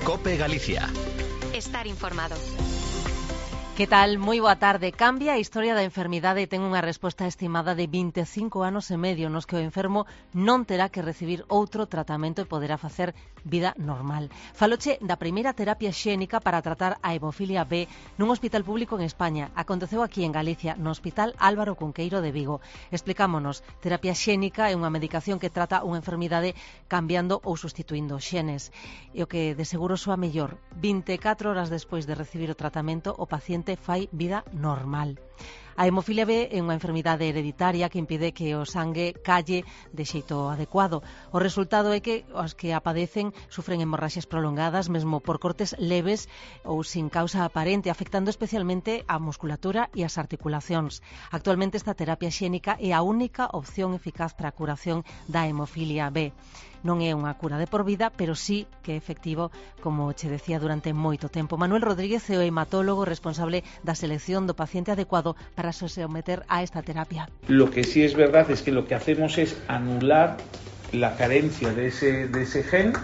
COPE Galicia. Estar informado. Que tal? Moi boa tarde. Cambia a historia da enfermidade e ten unha resposta estimada de 25 anos e medio nos que o enfermo non terá que recibir outro tratamento e poderá facer vida normal. Faloche da primeira terapia xénica para tratar a hemofilia B nun hospital público en España. Aconteceu aquí en Galicia, no Hospital Álvaro Cunqueiro de Vigo. Explicámonos, terapia xénica é unha medicación que trata unha enfermidade cambiando ou sustituindo xenes. E o que de seguro soa mellor, 24 horas despois de recibir o tratamento, o paciente fai vida normal. A hemofilia B é unha enfermidade hereditaria que impide que o sangue calle de xeito adecuado. O resultado é que os que a padecen sufren hemorraxias prolongadas, mesmo por cortes leves ou sin causa aparente, afectando especialmente a musculatura e as articulacións. Actualmente esta terapia xénica é a única opción eficaz para a curación da hemofilia B. Non é unha cura de por vida, pero sí que é efectivo, como che decía, durante moito tempo. Manuel Rodríguez é o hematólogo responsable da selección do paciente adecuado para someter a esta terapia. Lo que sí es verdad es que lo que hacemos es anular la carencia de ese gen,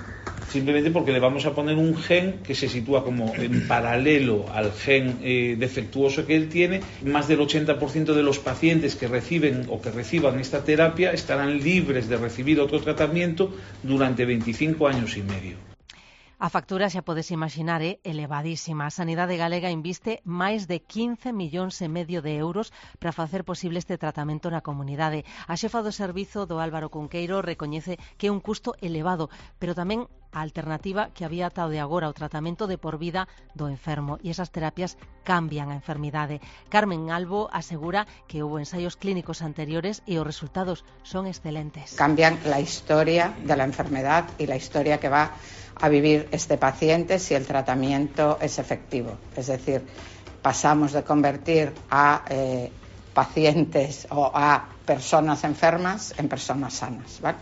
simplemente porque le vamos a poner un gen que se sitúa como en paralelo al gen defectuoso que él tiene. Más del 80% de los pacientes que reciben o que reciban esta terapia estarán libres de recibir otro tratamiento durante 25 años y medio. A factura, xa podes imaginar, é elevadísima. A Sanidade Galega inviste máis de 15 millóns e medio de euros para facer posible este tratamento na comunidade. A xefa do servizo do Álvaro Cunqueiro recoñece que é un custo elevado, pero tamén a alternativa que había ata o de agora, o tratamento de por vida do enfermo, e esas terapias cambian a enfermidade. Carmen Albo asegura que houve ensaios clínicos anteriores e os resultados son excelentes. Cambian la historia de la enfermedad y la historia que va a vivir este paciente si el tratamiento es efectivo. Es decir, pasamos de convertir a pacientes o a personas enfermas en personas sanas, ¿vale?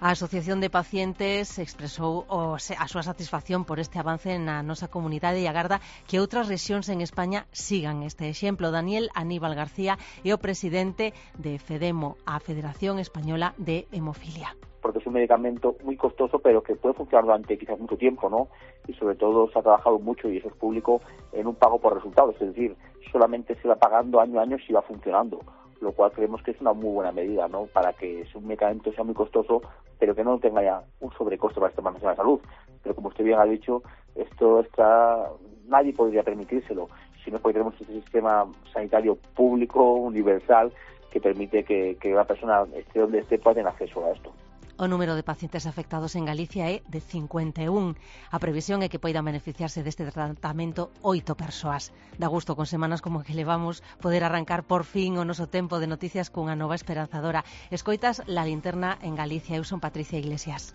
A Asociación de Pacientes expresou a súa satisfacción por este avance na nosa comunidade e agarda que outras rexións en España sigan este exemplo. Daniel Aníbal García é o presidente de FEDEMO, a Federación Española de Hemofilia. Porque es un medicamento muy costoso, pero que puede funcionar durante quizás mucho tiempo, ¿no? Y sobre todo se ha trabajado mucho, y eso es público, en un pago por resultados, es decir, solamente se va pagando año a año si va funcionando, lo cual creemos que es una muy buena medida, ¿no? Para que un medicamento sea muy costoso, pero que no tenga ya un sobrecosto para esta de la salud. Pero como usted bien ha dicho, nadie podría permitírselo, sino porque tenemos un sistema sanitario público, universal, que permite que una persona esté donde esté pueda tener acceso a esto. O número de pacientes afectados en Galicia é de 51. A previsión é que poidan beneficiarse deste tratamento 8 persoas. Da gusto con semanas como que levamos poder arrancar por fin o noso tempo de noticias cunha nova esperanzadora. Escoitas La Linterna en Galicia. Eu son Patricia Iglesias.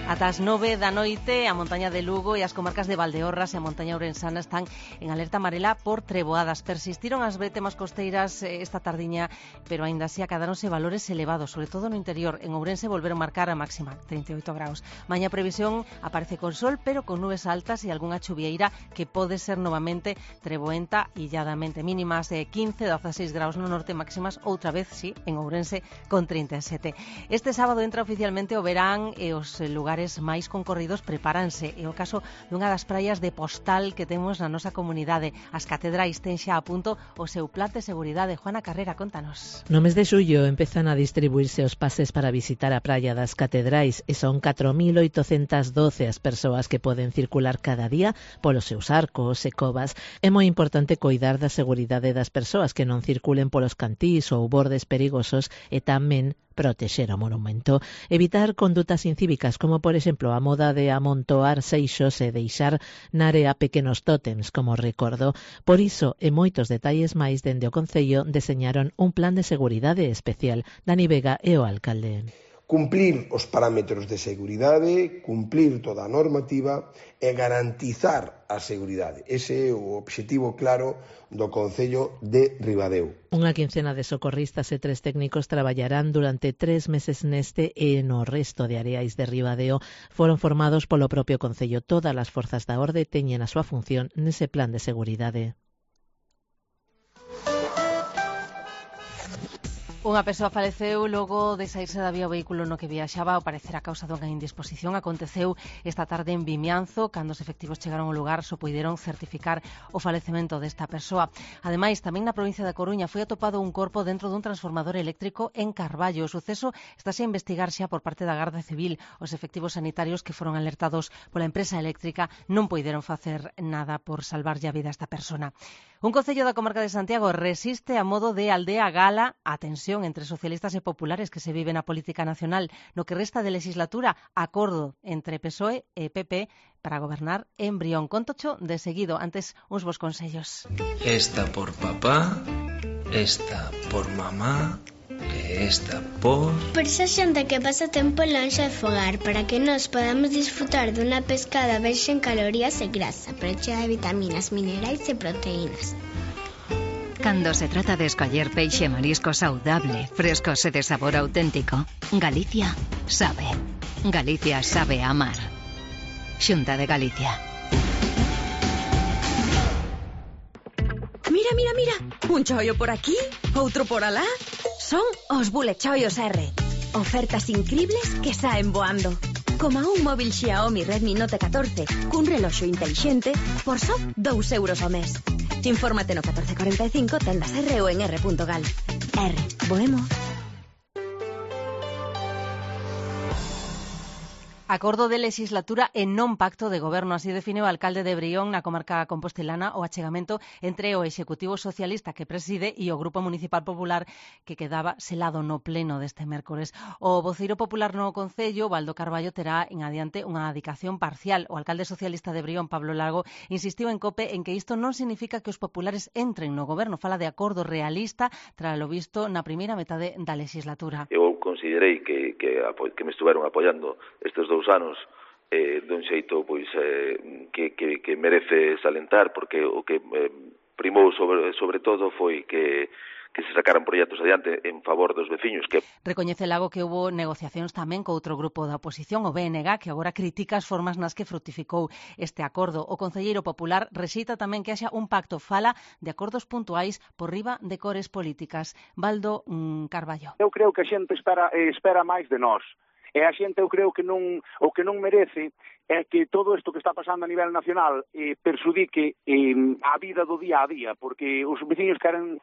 Ata as 9 da noite, a montaña de Lugo e as comarcas de Valdeorras e a montaña ourensana están en alerta amarela por treboadas. Persistiron as bretemas costeiras esta tardiña, pero aínda así acadáronse valores elevados, sobre todo no interior. En Ourense volveron marcar a máxima, 38 graus. Mañá previsión aparece con sol, pero con nubes altas e algunha chuvieira que pode ser novamente treboenta illadamente. Mínimas de 15, 16 graus no norte, máximas outra vez, sí, en Ourense con 37. Este sábado entra oficialmente o verán e os lugares máis concorridos prepáranse. É o caso dunha das praias de Postal que temos na nosa comunidade. As catedrais ten xa a punto o seu plan de seguridade. Juana Carrera, contanos. No mes de xullo empezan a distribuirse os pases para visitar a praia das catedrais e son 4.812 as persoas que poden circular cada día polos seus arcos e covas. É moi importante coidar da seguridade das persoas que non circulen polos cantís ou bordes perigosos e tamén protexer o monumento. Evitar condutas incívicas como, por exemplo, a moda de amontoar seixos e deixar na area pequenos tótems como recordo. Por iso, e moitos detalles máis, dende o Concello deseñaron un plan de seguridade especial. Dani Vega é o alcalde. Cumplir os parámetros de seguridade, cumplir toda a normativa e garantizar a seguridade. Ese é o obxectivo claro do Concello de Ribadeo. Unha quincena de socorristas e 3 técnicos traballarán durante 3 meses neste e no resto de areais de Ribadeo. Foron formados polo propio Concello. Todas as forzas da orde teñen a súa función nese plan de seguridade. Unha persoa faleceu logo de saírse da vía o vehículo no que viaxaba, ao parecer a causa dunha indisposición. Aconteceu esta tarde en Vimianzo. Cando os efectivos chegaron ao lugar só puideron certificar o falecemento desta persoa. Ademais, tamén na provincia da Coruña foi atopado un corpo dentro dun transformador eléctrico en Carballo. O suceso estáse a investigar xa por parte da Garda Civil. Os efectivos sanitarios que foron alertados pola empresa eléctrica non puideron facer nada por salvarlle a vida a esta persona. Un concello da comarca de Santiago resiste a modo de aldea gala a tensión entre socialistas e populares que se vive na política nacional. No que resta de legislatura, acordo entre PSOE e PP para gobernar en Brión. Contocho de seguido, antes uns bons consellos. Esta por papá, esta por mamá, e esta por... Por esa xente que pasa tempo lonxe de fogar, para que nos podamos disfrutar dunha pescada baixa en calorías e grasa, pero chea de vitaminas, minerais e proteínas. Cando se trata de escoller peixe e marisco saudable, frescos e de sabor auténtico, Galicia sabe. Galicia sabe amar. Xunta de Galicia. Mira, mira, mira, un chollo por aquí, outro por alá. Son os bulechollos R. Ofertas incribles que saen voando. Como un móvil Xiaomi Redmi Note 14 cun reloxo intelixente por só 2 euros ao mes. Infórmate no 1445 tendas R ou en r.gal. R, boemo. Acordo de legislatura e non pacto de goberno, así define o alcalde de Brión na comarca compostelana o achegamento entre o Executivo Socialista que preside e o Grupo Municipal Popular que quedaba selado no pleno deste mércores. O voceiro popular no Concello, Baldo Carballo, terá en adiante unha adicación parcial. O alcalde socialista de Brión, Pablo Lago, insistiu en COPE en que isto non significa que os populares entren no goberno. Fala de acordo realista tras lo visto na primeira metade da legislatura. Eu considerei que me estuveron apoiando estes 2 anos dun xeito pois que merece salentar, porque o que primou sobre todo foi que se sacaran proxectos adiante en favor dos veciños. Recoñece Lago que houbo negociacións tamén co outro grupo da oposición, o BNG, que agora critica as formas nas que fructificou este acordo. O concelleiro popular rexeita tamén que haxa un pacto, fala de acordos puntuais por riba de cores políticas. Baldo Carballo. Eu creo que a xente espera máis de nós. E a xente, eu creo que o que non merece é que todo isto que está pasando a nivel nacional perxudique a vida do día a día, porque os veciños queren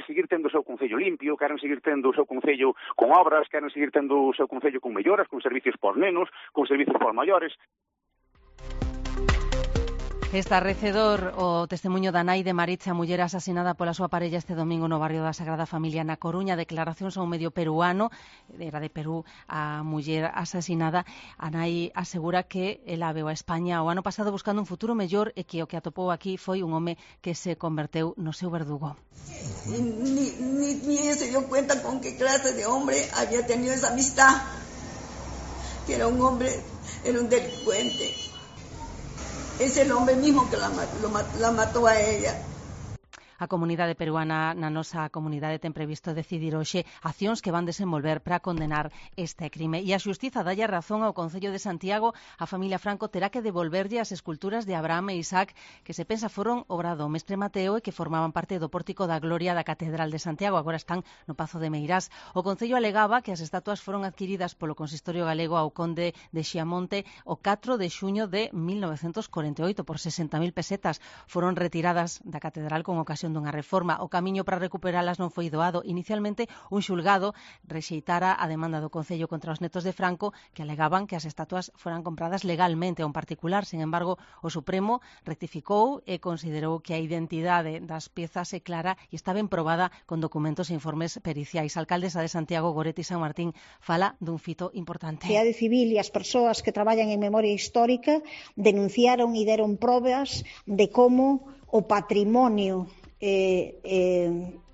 seguir tendo o seu concello limpio, queren seguir tendo o seu concello con obras, queren seguir tendo o seu concello con melloras, con servicios por nenos, con servicios por maiores. Estarrecedor o testemunho da nai de Maritza, muller asasinada pola súa parella este domingo no barrio da Sagrada Familia na Coruña. Declaracións a un medio peruano, era de Perú a muller asasinada. A nai asegura que ela veu a España o ano pasado buscando un futuro mellor e que o que atopou aquí foi un home que se converteu no seu verdugo. Ni se dio cuenta con qué clase de hombre había tenido esa amistad, que era un hombre, era un delincuente. Es el hombre mismo que la mató a ella. A comunidade peruana na nosa comunidade ten previsto decidir hoxe accións que van desenvolver para condenar este crime. E a xustiza dalle razón ao Concello de Santiago. A familia Franco terá que devolverlle as esculturas de Abraham e Isaac que se pensa foron obra do mestre Mateo e que formaban parte do pórtico da Gloria da Catedral de Santiago. Agora están no Pazo de Meirás. O Concello alegaba que as estatuas foron adquiridas polo Consistorio Galego ao conde de Xiamonte o 4 de xuño de 1948 por 60.000 pesetas. Foron retiradas da Catedral con ocasión dunha reforma. O camiño para recuperalas non foi doado. Inicialmente, un xulgado rexeitara a demanda do Concello contra os netos de Franco que alegaban que as estatuas foran compradas legalmente a un particular. Sin embargo, o Supremo rectificou e considerou que a identidade das piezas é clara e está ben probada con documentos e informes periciais. A alcaldesa de Santiago, Goretti San Martín, fala dun fito importante. A sociedade civil e as persoas que traballan en memoria histórica denunciaron e deron probas de como o patrimonio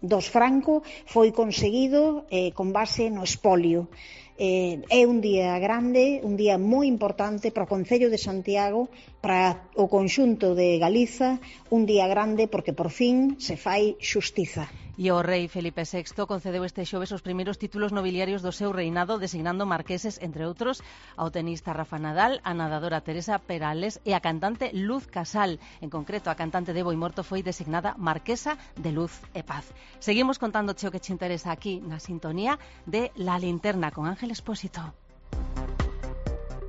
dos Franco foi conseguido con base no espolio. É un día grande, un día moi importante para o Concello de Santiago, para o conxunto de Galiza, un día grande porque por fin se fai xustiza. E o rei Felipe VI concedeu este xoves os primeiros títulos nobiliarios do seu reinado, designando marqueses, entre outros, ao tenista Rafa Nadal, a nadadora Teresa Perales e a cantante Luz Casal. En concreto, a cantante de Boimorto foi designada Marquesa de Luz e Paz. Seguimos contándoche o que te interesa aquí na sintonía de La Linterna con Ángel Expósito.